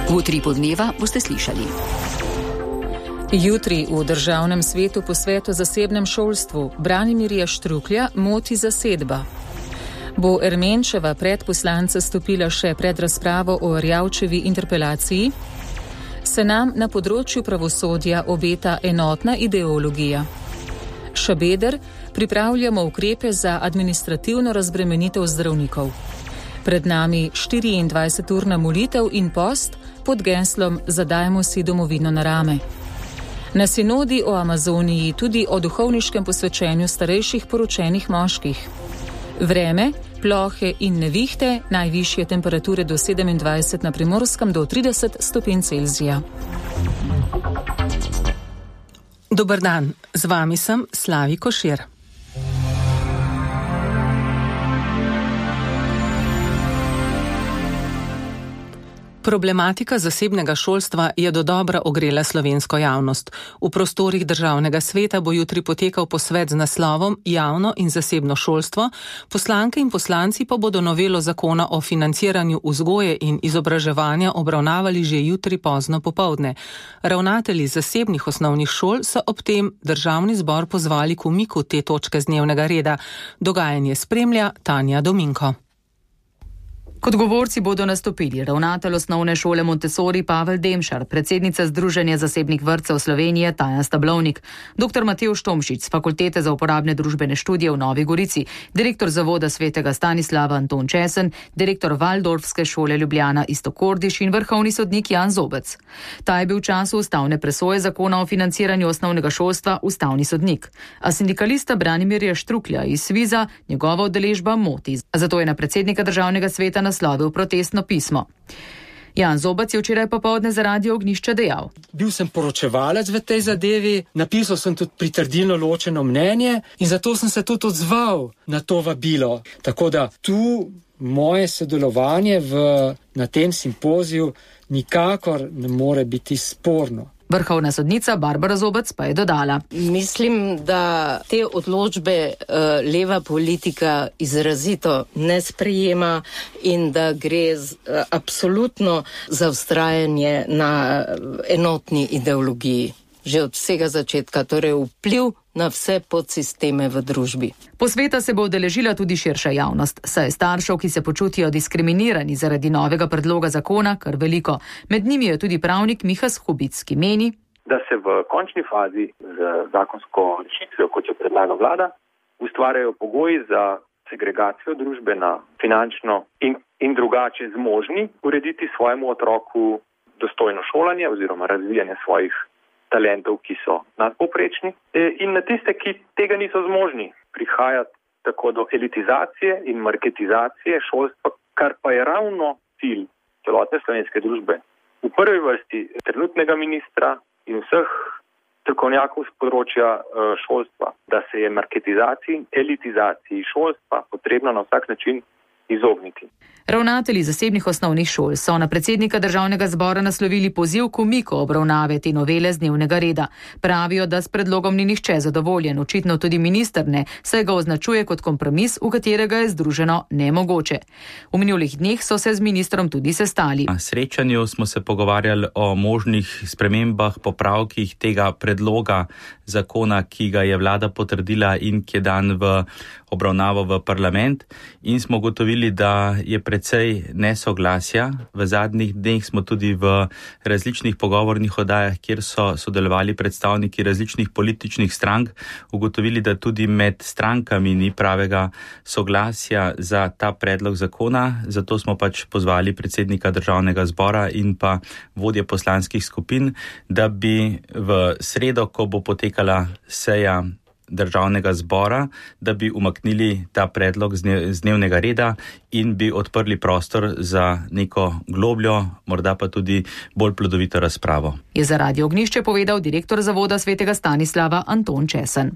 V Utripu dneva boste slišali. Jutri v Državnem svetu posvet o zasebnem šolstvu Branimirja Štruklja moti zasedba. Bo Ermenčeva pred poslance stopila še pred razpravo o Erjavčevi interpelaciji? Se nam na področju pravosodja obeta enotna ideologija? Šabeder, pripravljamo ukrepe za administrativno razbremenitev zdravnikov. Pred nami 24-urna molitev in post pod geslom Zadajmo si domovino na rame. Na sinodi o Amazoniji tudi o duhovniškem posvečenju starejših poročenih moških. Vreme, plohe in nevihte, najvišje temperature do 27 na Primorskem do 30 stopinj Celzija. Dober dan, z vami sem Slavi Košir. Problematika zasebnega šolstva je dodobra ogrela slovensko javnost. V prostorih Državnega sveta bo jutri potekal posvet z naslovom Javno in zasebno šolstvo, poslanke in poslanci pa bodo novelo zakona o financiranju vzgoje in izobraževanja obravnavali že jutri pozno popoldne. Ravnatelji zasebnih osnovnih šol so ob tem Državni zbor pozvali k umiku te točke z dnevnega reda. Dogajanje spremlja Tanja Dominko. Kot govorci bodo nastopili ravnatelj osnovne šole Montessori Pavel Demšar, predsednica Združenja zasebnih vrtcev Slovenije Taja Stablovnik, dr. Matevž Tomšič z Fakultete za uporabne družbene študije v Novi Gorici, direktor Zavoda svetega Stanislava Anton Česen, direktor Valdorfske šole Ljubljana Iztok Kordiš in vrhovni sodnik Jan Zobec. Ta je bil v času ustavne presoje zakona o financiranju osnovnega šolstva ustavni sodnik. A sindikalista Branimirja Štruklja iz Sviza njegova udeležba moti. Zato je na predsednika Državnega sveta naslovil protestno pismo. Jan Zobec je včeraj popoldne za Radio Ognjišče dejal: Bil sem poročevalec v tej zadevi, napisal sem tudi pritrdilno ločeno mnenje in zato sem se tudi odzval na to vabilo. Tako da tu moje sodelovanje na tem simpoziju nikakor ne more biti sporno. Vrhovna sodnica Barbara Zobec pa je dodala: Mislim, da te odločbe leva politika izrazito ne sprejema in da gre absolutno za vztrajanje na enotni ideologiji. Že od vsega začetka, torej vpliv na vse podsisteme v družbi. Posveta se bo udeležila tudi širša javnost, saj staršev, ki se počutijo diskriminirani zaradi novega predloga zakona, kar veliko. Med njimi je tudi pravnik Miha Skubic, ki meni, da se v končni fazi z zakonsko rešitvijo, kot jo predlaga vlada, ustvarjajo pogoji za segregacijo družbe na finančno in drugače zmožni urediti svojemu otroku dostojno šolanje oziroma razvijanje svojih talentov, ki so nadpovprečni, in na tiste, ki tega niso zmožni. Prihaja tako do elitizacije in marketizacije šolstva, kar pa je ravno cilj celotne slovenske družbe. V prvi vrsti trenutnega ministra in vseh strokovnjakov z področja šolstva, da se je marketizaciji in elitizaciji šolstva potrebno na vsak način izogniti. Ravnatelji zasebnih osnovnih šol so na predsednika Državnega zbora naslovili poziv k umiku obravnave te novele z dnevnega reda. Pravijo, da s predlogom ni nihče zadovoljen, očitno tudi minister ne, saj ga označuje kot kompromis, v katerega je združeno nemogoče. V minulih dneh so se z ministrom tudi sestali. Na srečanju smo se pogovarjali o možnih spremembah, popravkih tega predloga zakona, ki ga je vlada potrdila in ki je dan v obravnavo v parlament, in smo gotovili, da je precej nesoglasja. V zadnjih dneh smo tudi v različnih pogovornih oddajah, kjer so sodelovali predstavniki različnih političnih strank, ugotovili, da tudi med strankami ni pravega soglasja za ta predlog zakona. Zato smo pač pozvali predsednika Državnega zbora in pa vodje poslanskih skupin, da bi v sredo, ko bo potekala seja Državnega zbora, da bi umaknili ta predlog z dnevnega reda in bi odprli prostor za neko globljo, morda pa tudi bolj plodovito razpravo. Je za Radio Ognjišče povedal direktor Zavoda svetega Stanislava Anton Česen.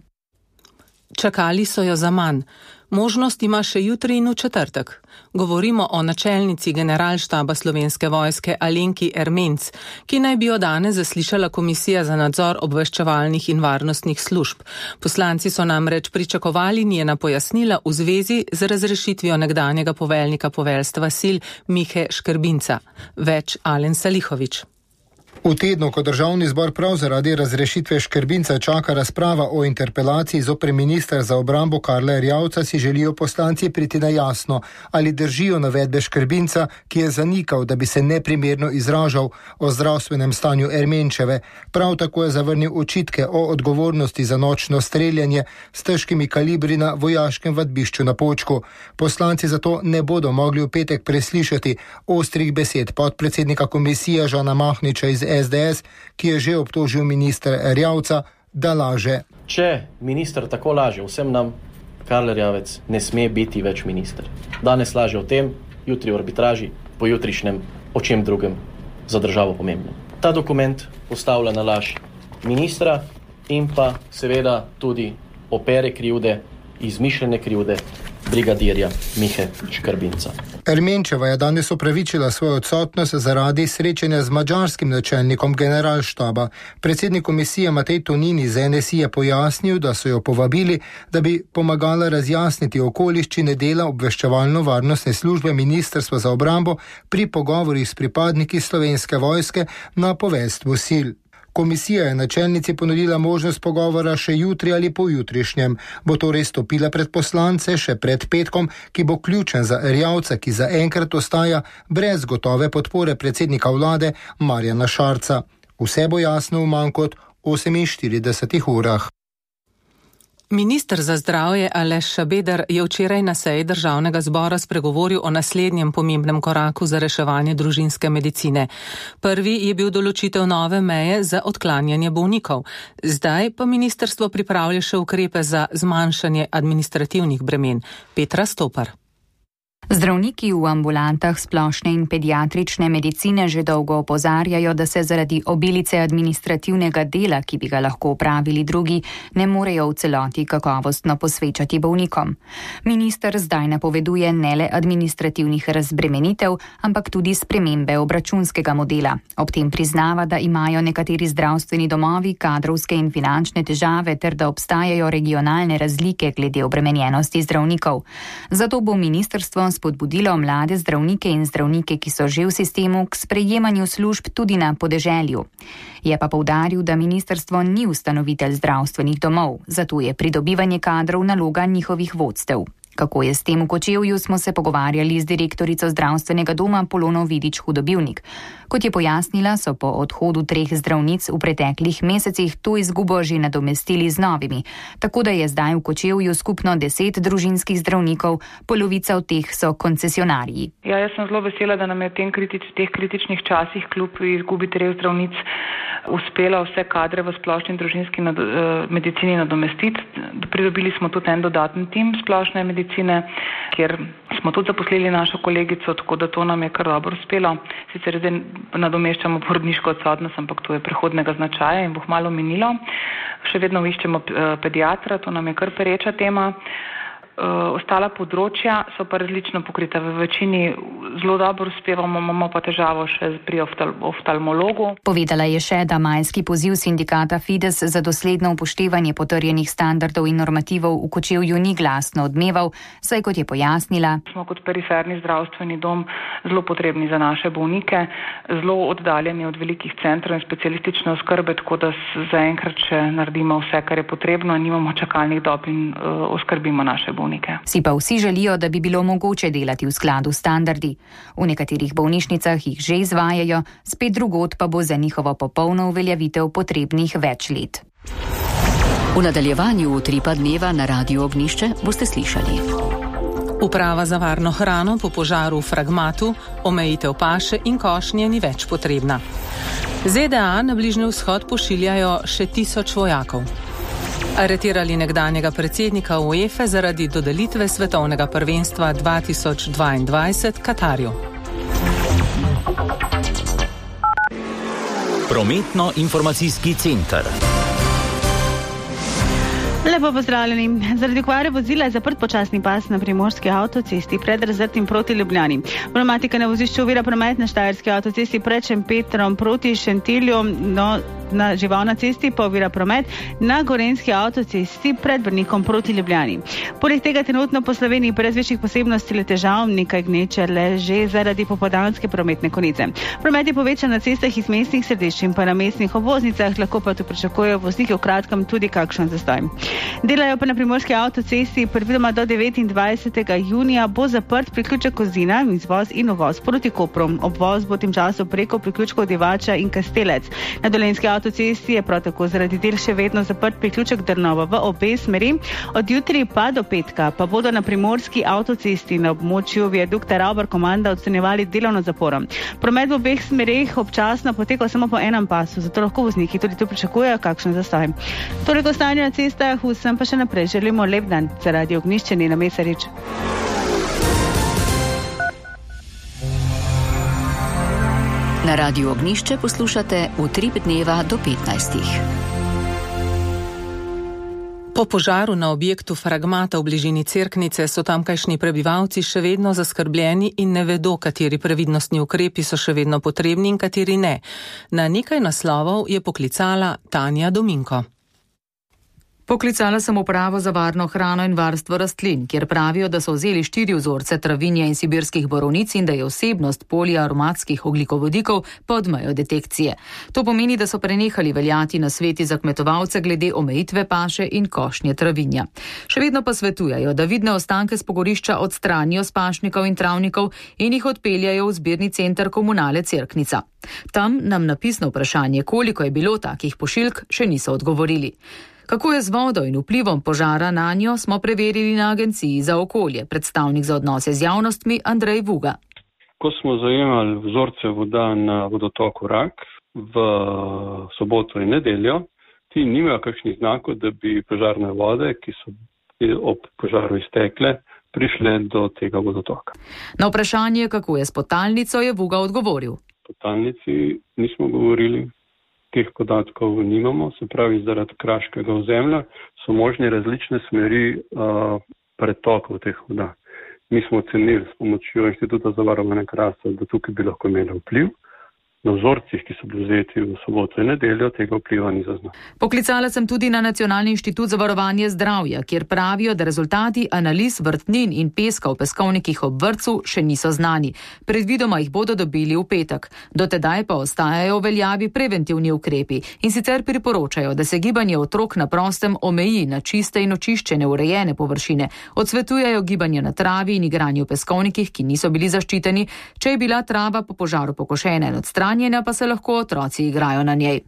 Čakali so jo za manj. Možnost ima še jutri in v četrtek. Govorimo o načelnici generalštaba Slovenske vojske Alenki Ermenc, ki naj bi jo danes zaslišala Komisija za nadzor obveščevalnih in varnostnih služb. Poslanci so namreč pričakovali njena pojasnila v zvezi z razrešitvijo nekdanjega poveljnika poveljstva sil Mihe Škrbinca. Več Alen Salihović. V tednu, ko državni zbor prav zaradi razrešitve Škrbinca čaka razprava o interpelaciji zoper ministra za obrambo Karla Erjavca, si želijo poslanci priti na jasno, ali držijo navedbe Škrbinca, ki je zanikal, da bi se neprimerno izražal o zdravstvenem stanju Ermenčeve. Prav tako je zavrnil očitke o odgovornosti za nočno streljanje s težkimi kalibri na vojaškem vadbišču na Počku. Poslanci zato ne bodo mogli v petek preslišati ostrih besed podpredsednika komisije Žana Mahniča iz SDS, ki je že obtožil ministra Erjavca, da laže. Če minister tako laže vsem nam, Karl Erjavec ne sme biti več minister. Danes laže o tem, jutri v arbitraži, pojutrišnjem o čem drugem za državo pomembnem. Ta dokument postavlja na laž ministra in pa seveda tudi opere krivde, izmišljene krivde brigadirja Mihe Škrbinca. Ermenčeva je danes opravičila svojo odsotnost zaradi srečanja z madžarskim načelnikom generalštaba. Predsednik komisije Matej Tonin iz NSI je pojasnil, da so jo povabili, da bi pomagala razjasniti okoliščine dela obveščevalno-varnostne službe Ministrstva za obrambo pri pogovorih s pripadniki Slovenske vojske na poveljstvu sil. Komisija je načelnici ponudila možnost pogovora še jutri ali pojutrišnjem. Bo torej stopila pred poslance še pred petkom, ki bo ključen za Erjavca, ki zaenkrat ostaja brez gotove podpore predsednika vlade Marjana Šarca. Vse bo jasno v manj kot 48 urah. Minister za zdravje Aleš Šabeder je včeraj na seji državnega zbora spregovoril o naslednjem pomembnem koraku za reševanje družinske medicine. Prvi je bil določitev nove meje za odklanjanje bolnikov. Zdaj pa ministrstvo pripravlja še ukrepe za zmanjšanje administrativnih bremen. Petra Stopar. Zdravniki v ambulantah splošne in pediatrične medicine že dolgo opozarjajo, da se zaradi obilice administrativnega dela, ki bi ga lahko opravili drugi, ne morejo v celoti kakovostno posvečati bolnikom. Minister zdaj napoveduje ne le administrativnih razbremenitev, ampak tudi spremembe obračunskega modela. Ob tem priznava, da imajo nekateri zdravstveni domovi kadrovske in finančne težave ter da obstajajo regionalne razlike glede obremenjenosti zdravnikov. Zato bo ministrstvo spodbudilo mlade zdravnike in zdravnike, ki so že v sistemu, k sprejemanju služb tudi na podeželju. Je pa poudaril, da ministrstvo ni ustanovitelj zdravstvenih domov, zato je pridobivanje kadrov naloga njihovih vodstev. Kako je s tem v Kočevju, smo se pogovarjali z direktorico zdravstvenega doma Polono Vidič Hudobivnik. Kot je pojasnila, so po odhodu 3 zdravnic v preteklih mesecih to izgubo že nadomestili z novimi, tako da je zdaj v Kočevju skupno 10 družinskih zdravnikov, polovica od teh so koncesionarji. Ja, jaz sem zelo vesela, da nam je v teh kritičnih časih kljub izgubi 3 zdravnic uspela vse kadre v splošni družinski medicini nadomestiti. Pridobili smo tudi en dodaten tim splošne medicine, kjer smo tudi zaposlili našo kolegico, tako da to nam je kar dobro uspelo. Sicer zdaj nadomeščamo porodniško odsotnost, ampak to je prehodnega značaja in bo hmalo minilo. Še vedno iščemo pediatra, to nam je kar pereča tema. Ostala področja so pa različno pokrita. V večini zelo dobro uspevamo, imamo pa težavo še pri oftalmologu. Povedala je še, da majski poziv sindikata Fides za dosledno upoštevanje potrjenih standardov in normativov v Kočevju ni glasno odmeval, saj kot je pojasnila, smo kot periferni zdravstveni dom zelo potrebni za naše bolnike, zelo oddaljeni od velikih centrov in specialistične oskrbe, tako da zaenkrat še naredimo vse, kar je potrebno, nimamo čakalnih dob in oskrbimo naše bolnike. Si pa vsi želijo, da bi bilo mogoče delati v skladu s standardi. V nekaterih bolnišnicah jih že izvajajo, spet drugod pa bo za njihovo popolno uveljavitev potrebnih več let. V nadaljevanju utripa dneva na Radiu Ognjišče boste slišali. Uprava za varno hrano po požaru v Fragmatu, omejitev paše in košnje ni več potrebna. ZDA na Bližnji vzhod pošiljajo še 1000 vojakov. Aretirali nekdanjega predsednika UEFA zaradi dodelitve svetovnega prvenstva 2022 Katarju. Prometno-informacijski center. Lepo pozdravljeni. Zaradi okvare vozila je zaprt počasni pas na primorski avtocesti pred Razrtim proti Ljubljani. Problematika na vozišču ovira promet na štajerski avtocesti pred Šempetrom proti Šentilju, na Živalna cesti pa ovira promet na Gorenjski avtocesti pred Brnikom proti Ljubljani. Poleg tega trenutno po Sloveniji brez večjih posebnosti le težav, nekaj gneče le že zaradi popoldanske prometne konice. Promet je povečan na cestah iz mestnih središč in pa na mestnih obvoznicah, lahko pa tu pričakujejo vozniki v kratkem tudi kakšen zastoj. Delajo pa na primorski avtocesti, predvidoma do 29. junija bo zaprt priključek Kozina, izvoz in uvoz proti Kopru. Obvoz bo tem času preko priključkov Divača in Kastelec. Na Dolenjski avtocesti je prav tako zaradi del še vedno zaprt priključek Drnova v obe smeri. Od jutri pa do petka pa bodo na primorski avtocesti na območju viadukta Ravbar komanda odstranjevali delovno zaporo. Promet v obeh smereh občasno poteka samo po enem pasu, zato lahko vozniki tudi tu pričakujejo kakšen zastoj. Toliko stanje na cestah, vsem pa še naprej želimo lep dan. Za Radio Ognjišče Nina Mesarič. Na Radiu Ognjišče poslušate Utrip dneva do 15. Po požaru na objektu Fragmata v bližini Cerknice so tamkajšnji prebivalci še vedno zaskrbljeni in ne vedo, kateri previdnostni ukrepi so še vedno potrebni in kateri ne. Na nekaj naslovov je poklicala Tanja Dominko. Poklicala sem upravo za varno hrano in varstvo rastlin, kjer pravijo, da so vzeli 4 vzorce travinja in sibirskih borovnic in da je vsebnost poliaromatskih ogljikovodikov pod mejo detekcije. To pomeni, da so prenehali veljati nasveti za kmetovalce glede omejitve paše in košnje travinja. Še vedno pa svetujejo, da vidne ostanke s pogorišča odstranijo s pašnikov in travnikov in jih odpeljajo v zbirni center Komunale Cerknica. Tam nam na pisno vprašanje, koliko je bilo takih pošiljk, še niso odgovorili. Kako je z vodo in vplivom požara na njo, smo preverili na Agenciji za okolje. Predstavnik za odnose z javnostmi Andrej Vuga. Ko smo zajemali vzorce voda na vodotoku Rak v soboto in nedeljo, ti nimajo kakšnih znakov, da bi požarne vode, ki so ob požaru iztekle, prišle do tega vodotoka. Na vprašanje, kako je s podtalnico, je Vuga odgovoril. O podtalnici nismo govorili. Teh podatkov nimamo, se pravi, zaradi kraškega ozemlja so možne različne smeri pretokov teh voda. Mi smo ocenili s pomočjo Inštituta za varovanje krasa, da tukaj bi lahko imeli vpliv. Na vzorcih, ki so bili vzeti v soboto in nedeljo, tega vpliva ni zaznal. Poklicala sem tudi na Nacionalni inštitut za varovanje zdravja, kjer pravijo, da rezultati analiz vrtnin in peska v peskovnikih ob vrtcu še niso znani. Predvidoma jih bodo dobili v petek. Do tedaj pa ostajajo v veljavi preventivni ukrepi in sicer priporočajo, da se gibanje otrok na prostem omeji na čiste in očiščene urejene površine. Odsvetujejo gibanje na travi in igranje v peskovnikih, ki niso bili zaščiteni, če je bila trava po požaru pokošena in odstranjena, pa se lahko otroci igrajo na njej.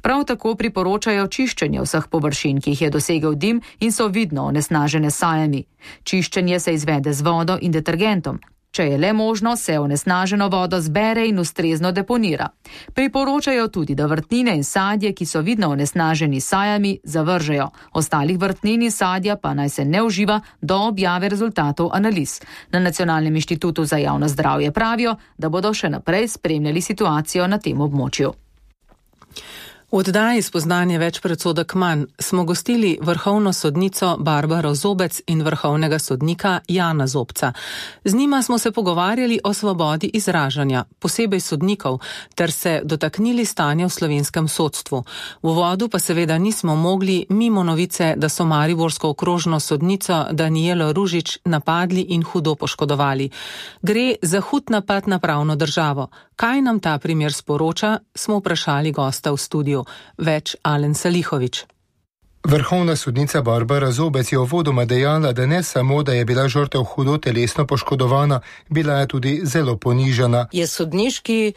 Prav tako priporočajo čiščenje vseh površin, ki jih je dosegel dim in so vidno onesnažene s sajami. Čiščenje se izvede z vodo in detergentom. Če je le možno, se onesnaženo vodo zbere in ustrezno deponira. Priporočajo tudi, da vrtnine in sadje, ki so vidno onesnaženi s sajami, zavržejo. Ostalih vrtnin in sadja pa naj se ne uživa do objave rezultatov analiz. Na Nacionalnem inštitutu za javno zdravje pravijo, da bodo še naprej spremljali situacijo na tem območju. V oddaji Spoznanje več predsodek manj smo gostili vrhovno sodnico Barbaro Zobec in vrhovnega sodnika Jana Zobca. Z njima smo se pogovarjali o svobodi izražanja, posebej sodnikov, ter se dotaknili stanja v slovenskem sodstvu. V uvodu pa seveda nismo mogli mimo novice, da so mariborsko okrožno sodnico Danijelo Ružič napadli in hudo poškodovali. Gre za hud napad na pravno državo. Kaj nam ta primer sporoča, smo vprašali gosta v studiu. Več Alen Salihovič. Vrhovna sodnica Barbara Zobec je uvodoma dejala, da ne samo, da je bila žrtev hudo telesno poškodovana, bila je tudi zelo ponižana. Je sodniški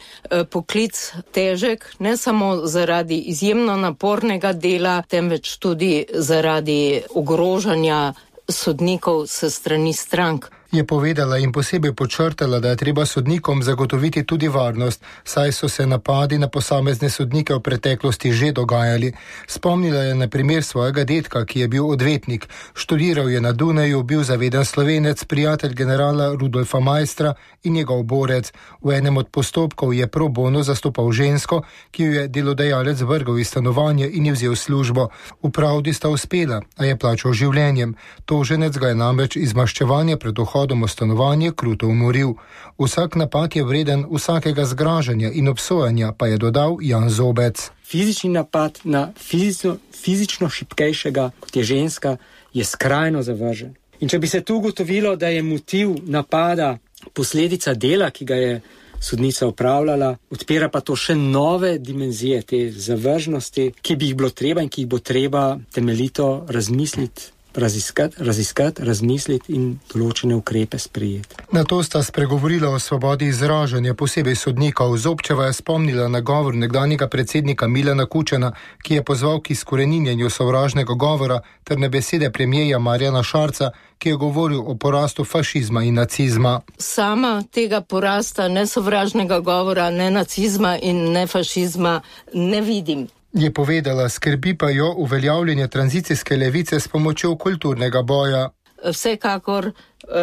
poklic težek, ne samo zaradi izjemno napornega dela, temveč tudi zaradi ogrožanja sodnikov s strani strank. Je povedala in posebej podčrtala, da je treba sodnikom zagotoviti tudi varnost, saj so se napadi na posamezne sodnike v preteklosti že dogajali. Spomnila je na primer svojega dedka, ki je bil odvetnik, študiral je na Dunaju, bil zaveden Slovenec, prijatelj generala Rudolfa Maistra in njegov borec. V enem od postopkov je pro bono zastopal žensko, ki jo je delodajalec vrgel iz stanovanja in ji vzel službo. V pravdi sta uspela, a je plačal življenjem. Toženec ga je namreč iz maščevanja pred vhodom v stanovanje kruto umoril. Vsak napad je vreden vsakega zgražanja in obsojanja, pa je dodal Jan Zobec. Fizični napad na fizično šibkejšega, kot je ženska, je skrajno zavržen. In če bi se tu ugotovilo, da je motiv napada posledica dela, ki ga je sodnica upravljala, odpira pa to še nove dimenzije te zavržnosti, ki bi jih bilo treba in ki jih bo treba temeljito razmisliti, raziskati, razmisliti in določene ukrepe sprejeti. Na to sta spregovorila o svobodi izražanja, posebej sodnikov. Zobčeva je spomnila na govor nekdanjega predsednika Milana Kučana, ki je pozval k izkoreninjenju sovražnega govora, ter na besede premierja Marjana Šarca, ki je govoril o porastu fašizma in nacizma. Sama tega porasta ne sovražnega govora, ne nacizma in ne fašizma ne vidim. Je povedala, skrbi pa jo uveljavljanje tranzicijske levice s pomočjo kulturnega boja. Vsekakor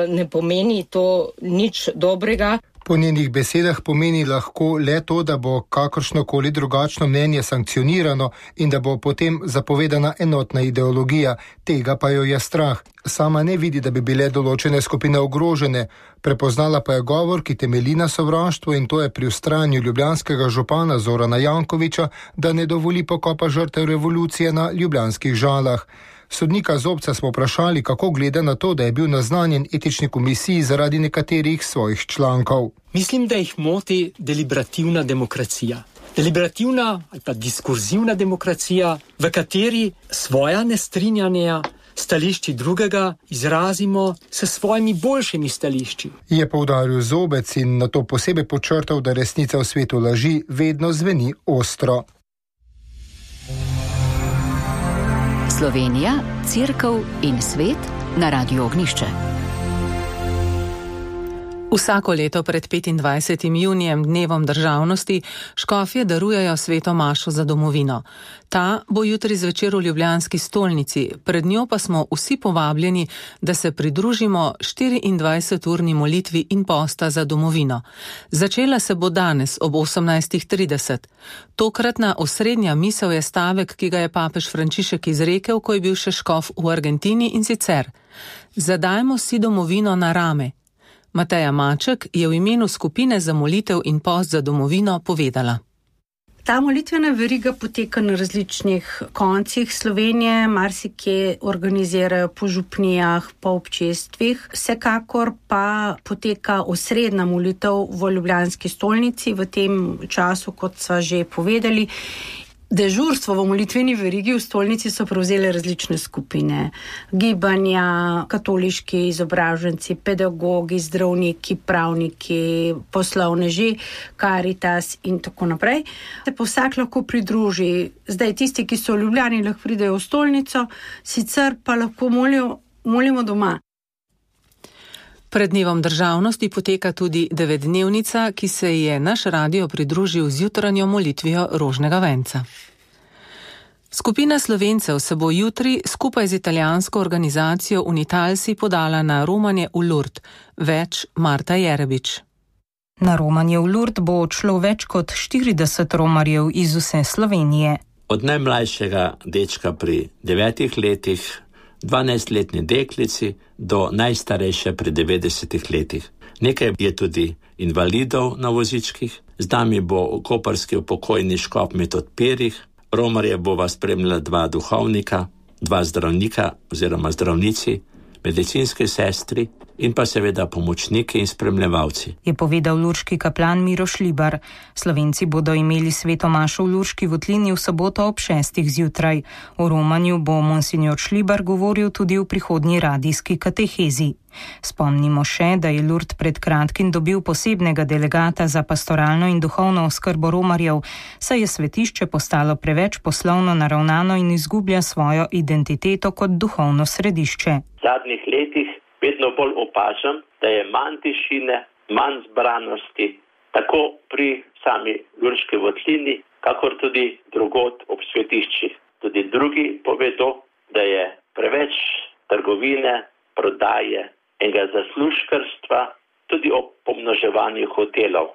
ne pomeni to nič dobrega. Po njenih besedah pomeni lahko le to, da bo kakršnokoli drugačno mnenje sankcionirano in da bo potem zapovedana enotna ideologija. Tega pa jo je strah. Sama ne vidi, da bi bile določene skupine ogrožene. Prepoznala pa je govor, ki temelji na sovraštvu, in to je pri vztrajanju ljubljanskega župana Zorana Jankovića, da ne dovoli pokopa žrtev revolucije na ljubljanskih Žalah. Sodnika Zobca smo vprašali, kako gleda na to, da je bil naznanjen etični komisiji zaradi nekaterih svojih člankov. Mislim, da jih moti deliberativna demokracija. Deliberativna ali pa diskurzivna demokracija, v kateri svoja nestrinjanja stališči drugega izrazimo s svojimi boljšimi stališči. Je poudaril Zobec in na to posebej podčrtal, da resnica v svetu laži vedno zveni ostro. Slovenija, Cerkev in svet na Radiu Ognišče. Vsako leto pred 25. junijem, dnevom državnosti, škofje darujejo sveto mašo za domovino. Ta bo jutri zvečer v ljubljanski stolnici, pred njo pa smo vsi povabljeni, da se pridružimo 24-urni molitvi in posta za domovino. Začela se bo danes ob 18:30. Tokratna osrednja misel je stavek, ki ga je papež Frančišek izrekel, ko je bil še škof v Argentini, in sicer: zadajmo si domovino na rame. Mateja Maček je v imenu skupine za molitev in post za domovino povedala. Ta molitvena veriga poteka na različnih koncih Slovenije, marsikje organizirajo po župnijah, po občestvih. Vsekakor pa poteka osrednja molitev v ljubljanski stolnici v tem času, kot sva že povedali. Dežurstvo v molitveni verigi v stolnici so prevzele različne skupine. Gibanja, katoliški izobraženci, pedagogi, zdravniki, pravniki, poslovneži, Karitas in tako naprej. Se pa vsak lahko pridruži. Zdaj tisti, ki so v Ljubljani, lahko pridejo v stolnico, sicer pa lahko molimo doma. Pred dnevom državnosti poteka tudi 9-dnevnica, ki se je naš radio pridružil z jutranjo molitvijo rožnega venca. Skupina Slovencev se bo jutri skupaj z italijansko organizacijo Unitalsi podala na romanje v Lourdes. Več Marta Jerebič. Na romanje v Lourdes bo odšlo več kot 40 romarjev iz vse Slovenije. Od najmlajšega dečka pri 9 letih, 12-letni deklici do najstarejše pri 90 letih. Nekaj je tudi invalidov na vozičkih, z nami bo koprski upokojni škof Metod Pirih, romarje bova spremljala 2 duhovnika, 2 zdravnika oziroma zdravnici, medicinske sestri in pa seveda pomočniki in spremljevalci. Je povedal lurški kaplan Miro Šlibar. Slovenci bodo imeli sveto mašo v Lurški votlini v soboto ob 6. zjutraj. O romanju bo monsignor Šlibar govoril tudi v prihodnji radijski katehezi. Spomnimo še, da je Lourdes pred kratkim dobil posebnega delegata za pastoralno in duhovno oskrbo romarjev, saj je svetišče postalo preveč poslovno naravnano in izgublja svojo identiteto kot duhovno središče. V zadnjih letih vedno bolj opažam, da je manj tišine, manj zbranosti, tako pri sami Lurški votlini, kakor tudi drugod ob svetiščih. Tudi drugi povedo, da je preveč trgovine, prodaje in zaslužkarstva, tudi ob pomnoževanju hotelov.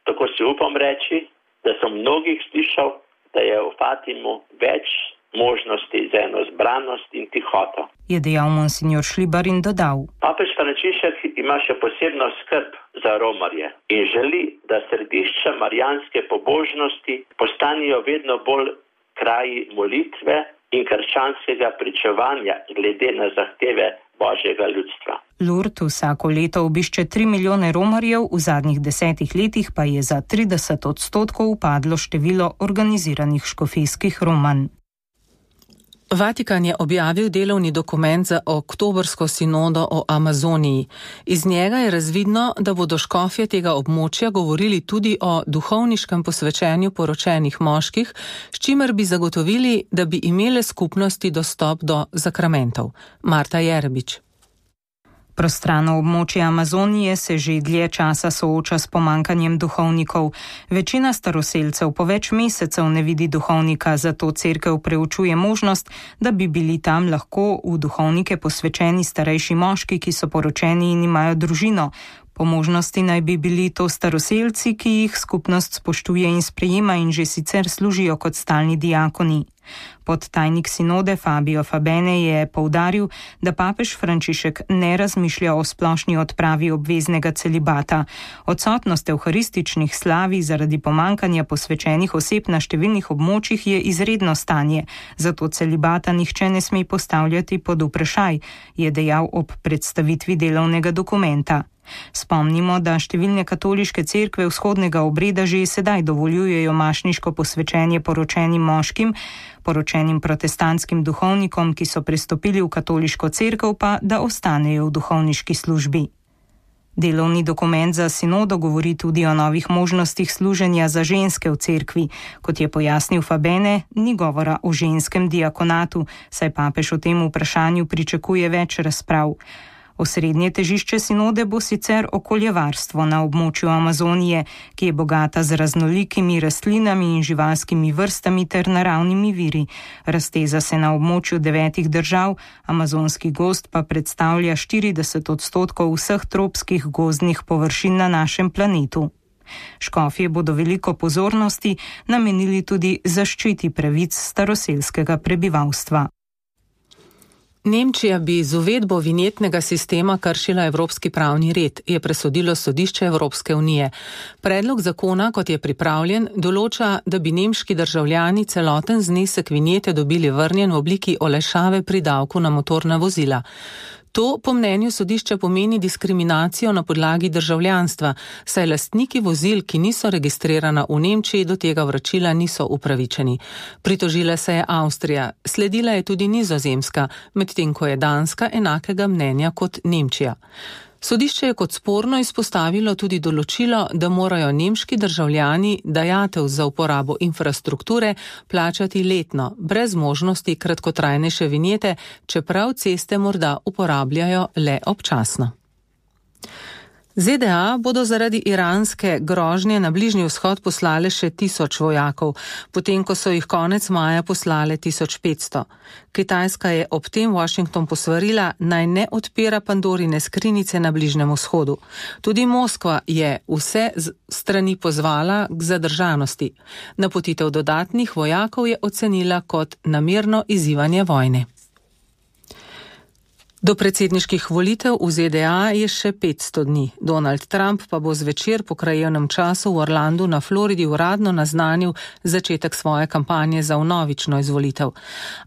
Tako si upam reči, da sem mnogih slišal, da je v Fatimu več možnosti za eno zbranost in tihoto. Je dejal monsignor Šlibar in dodal. Papež Frančišek ima še posebno skrb za romarje in želi, da središča marijanske pobožnosti postanejo vedno bolj kraji molitve in krščanskega pričevanja glede na zahteve Božjega ljudstva. Lourdes vsako leto obišče 3 milijone romarjev, v zadnjih 10 letih pa je za 30% upadlo število organiziranih škofijskih romanj. Vatikan je objavil delovni dokument za oktobrsko sinodo o Amazoniji. Iz njega je razvidno, da bodo škofje tega območja govorili tudi o duhovniškem posvečenju poročenih moških, s čimer bi zagotovili, da bi imele skupnosti dostop do zakramentov. Marta Jerbič. Prostrano območje Amazonije se že dlje časa sooča s pomankanjem duhovnikov. Večina staroselcev po več mesecev ne vidi duhovnika, zato cerkev preučuje možnost, da bi bili tam lahko v duhovnike posvečeni starejši moški, ki so poročeni in imajo družino. Po možnosti naj bi bili to staroselci, ki jih skupnost spoštuje in sprejema in že sicer služijo kot stalni diakoni. Podtajnik sinode Fabio Fabene je poudaril, da papež Frančišek ne razmišlja o splošni odpravi obveznega celibata. Odsotnost evharističnih slavi zaradi pomankanja posvečenih oseb na številnih območjih je izredno stanje, zato celibata nihče ne sme postavljati pod vprašaj, je dejal ob predstavitvi delovnega dokumenta. Spomnimo, da številne katoliške cerkve vzhodnega obreda že sedaj dovoljujejo mašniško posvečenje poročenim moškim, poročenim protestantskim duhovnikom, ki so prestopili v katoliško cerkev, pa da ostanejo v duhovniški službi. Delovni dokument za sinodo govori tudi o novih možnostih služenja za ženske v cerkvi. Kot je pojasnil Fabene, ni govora o ženskem diakonatu, saj papež o tem vprašanju pričakuje več razprav. Osrednje težišče sinode bo sicer okoljevarstvo na območju Amazonije, ki je bogata z raznolikimi rastlinami in živalskimi vrstami ter naravnimi viri. Razteza se na območju 9 držav, amazonski gozd pa predstavlja 40% vseh tropskih gozdnih površin na našem planetu. Škofje bodo veliko pozornosti namenili tudi zaščiti pravic staroselskega prebivalstva. Nemčija bi z uvedbo vinjetnega sistema kršila evropski pravni red, je presodilo sodišče Evropske unije. Predlog zakona, kot je pripravljen, določa, da bi nemški državljani celoten znesek vinjete dobili vrnjen v obliki olajšave pri davku na motorna vozila. To po mnenju sodišča pomeni diskriminacijo na podlagi državljanstva, saj lastniki vozil, ki niso registrirana v Nemčiji, do tega vračila niso upravičeni. Pritožila se je Avstrija, sledila je tudi Nizozemska, medtem ko je Danska enakega mnenja kot Nemčija. Sodišče je kot sporno izpostavilo tudi določilo, da morajo nemški državljani dajatev za uporabo infrastrukture plačati letno, brez možnosti kratkotrajnejše vinjete, čeprav ceste morda uporabljajo le občasno. ZDA bodo zaradi iranske grožnje na Bližnji vzhod poslale še 1000 vojakov, potem ko so jih konec maja poslale 1500. Kitajska je ob tem Washington posvarila, naj ne odpira Pandorine skrinjice na Bližnjem vzhodu. Tudi Moskva je vse strani pozvala k zadržanosti. Napotitev dodatnih vojakov je ocenila kot namerno izzivanje vojne. Do predsedniških volitev v ZDA je še 500 dni. Donald Trump pa bo zvečer po krajevnem času v Orlandu na Floridi uradno naznanil začetek svoje kampanje za vnovično izvolitev.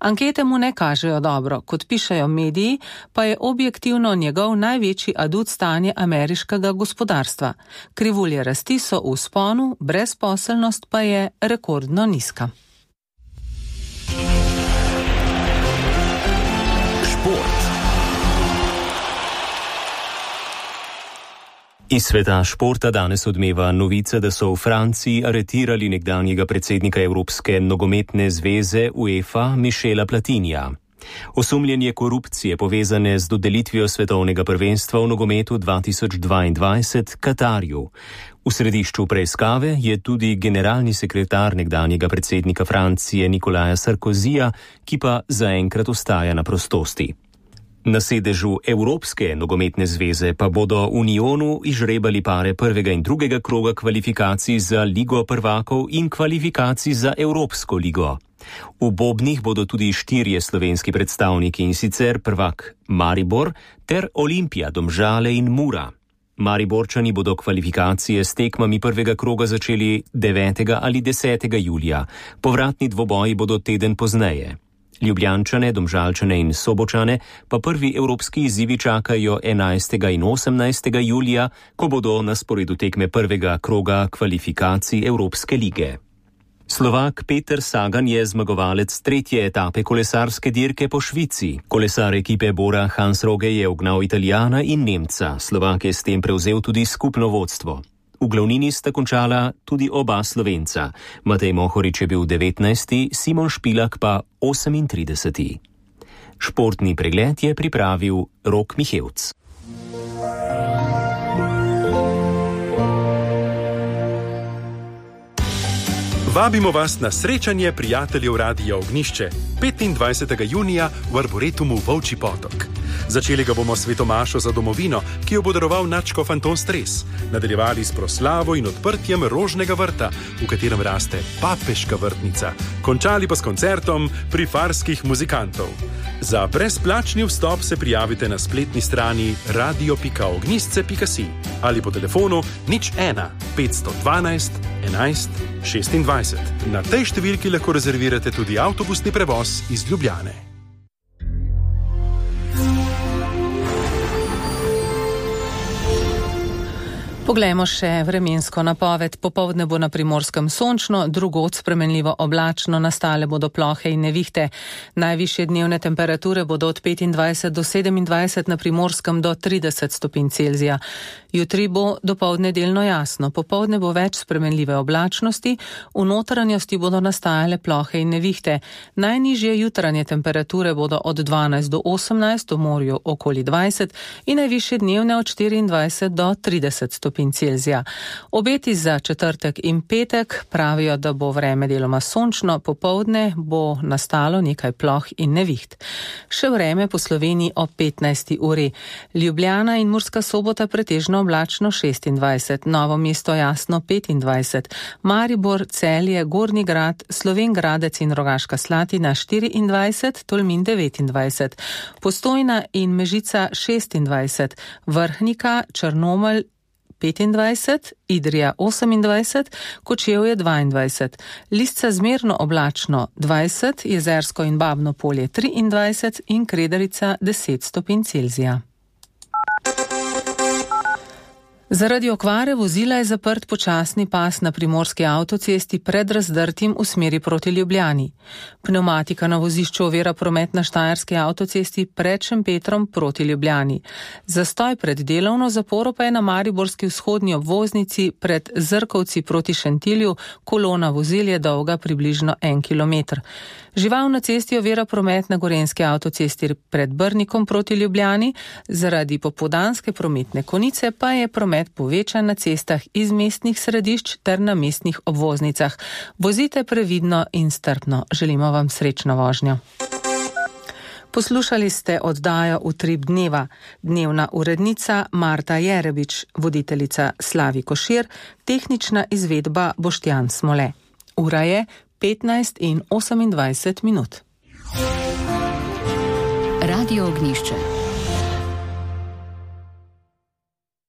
Ankete mu ne kažejo dobro, kot pišejo mediji, pa je objektivno njegov največji adut stanje ameriškega gospodarstva. Krivulje rasti so v vzponu, brezposelnost pa je rekordno nizka. Iz sveta športa danes odmeva novica, da so v Franciji aretirali nekdanjega predsednika Evropske nogometne zveze UEFA Michela Platinija. Osumljenje korupcije povezane z dodelitvijo svetovnega prvenstva v nogometu 2022 Katarju. V središču preiskave je tudi generalni sekretar nekdanjega predsednika Francije Nikolaja Sarkozija, ki pa zaenkrat ostaja na prostosti. Na sedežu Evropske nogometne zveze pa bodo v Unionu izžrebali pare prvega in drugega kroga kvalifikacij za Ligo prvakov in kvalifikacij za Evropsko ligo. V bobnih bodo tudi 4 slovenski predstavniki, in sicer prvak Maribor ter Olimpija, Domžale in Mura. Mariborčani bodo kvalifikacije s tekmami prvega kroga začeli 9. ali 10. julija, povratni dvoboji bodo teden pozneje. Ljubljančane, Domžalčane in Sobočane pa prvi evropski izzivi čakajo 11. in 18. julija, ko bodo na sporedu tekme prvega kroga kvalifikacij Evropske lige. Slovak Peter Sagan je zmagovalec 3. etape kolesarske dirke po Švici. Kolesar ekipe Bora Hansrohe je ugnal Italijana in Nemca. Slovak je s tem prevzel tudi skupno vodstvo. V glavnini sta končala tudi oba Slovenca. Matej Mohorič je bil 19., Simon Špilak pa 38. Športni pregled je pripravil Rok Mihevc. Vabimo vas na srečanje prijateljev Radia Ognjišče 25. junija v Arboretumu Volčji potok. Začeli ga bomo s svetomašo za domovino, ki jo bo daroval nadškof Anton Stres. Nadaljevali s proslavo in odprtjem rožnega vrta, v katerem raste papeška vrtnica. Končali pa s koncertom prifarskih muzikantov. Za brezplačni vstop se prijavite na spletni strani radio.ognjisce.si ali po telefonu 01 512 11 26. Na tej številki lahko rezervirate tudi avtobusni prevoz iz Ljubljane. Poglejmo še vremensko napoved. Popoldne bo na Primorskem sončno, drugod spremenljivo oblačno, nastale bodo plohe in nevihte. Najvišje dnevne temperature bodo od 25 do 27, na Primorskem do 30 stopinj Celzija. Jutri bo dopoldne delno jasno, popoldne bo več spremenljive oblačnosti, v notranjosti bodo nastajale plohe in nevihte. Najnižje jutranje temperature bodo od 12 do 18, v morju okoli 20 in najvišje dnevne od 24 do 30 stopinj Celzija. Obeti za četrtek in petek pravijo, da bo vreme deloma sončno, popoldne bo nastalo nekaj ploh in neviht. Še vreme po Sloveniji ob 15. uri. Ljubljana in Murska Sobota pretežno oblačno 26, Novo mesto jasno 25, Maribor, Celje, Gornji Grad, Slovenj Gradec in Rogaška Slatina 24, Tolmin 29, Postojna in Mežica 26, Vrhnika, Črnomelj 25, Idrija 28, Kočevje 22, Lisca zmerno oblačno 20, Jezersko in Babno Polje 23 in Kredarica 10 stopinj Celzija. Zaradi okvare vozila je zaprt počasni pas na primorski avtocesti pred Razdrtim v smeri proti Ljubljani. Pneumatika na vozišču ovira promet na Štajerski avtocesti pred Šempetrom proti Ljubljani. Zastoj pred delovno zaporo pa je na mariborski vzhodni obvoznici pred Zrkovci proti Šentilju, kolona vozil je dolga približno 1 kilometer. Žival na cesti ovira promet na Gorenjski avtocesti pred Brnikom proti Ljubljani, zaradi popoldanske prometne konice pa je promet povečan na cestah iz mestnih središč ter na mestnih obvoznicah. Vozite previdno in strpno. Želimo vam srečno vožnjo. Poslušali ste oddajo Utrip dneva. Dnevna urednica Marta Jerebič, voditeljica Slavi Košir, tehnična izvedba Boštjan Smole. Ura je 15 in 28 minut. Radio Ognjišče.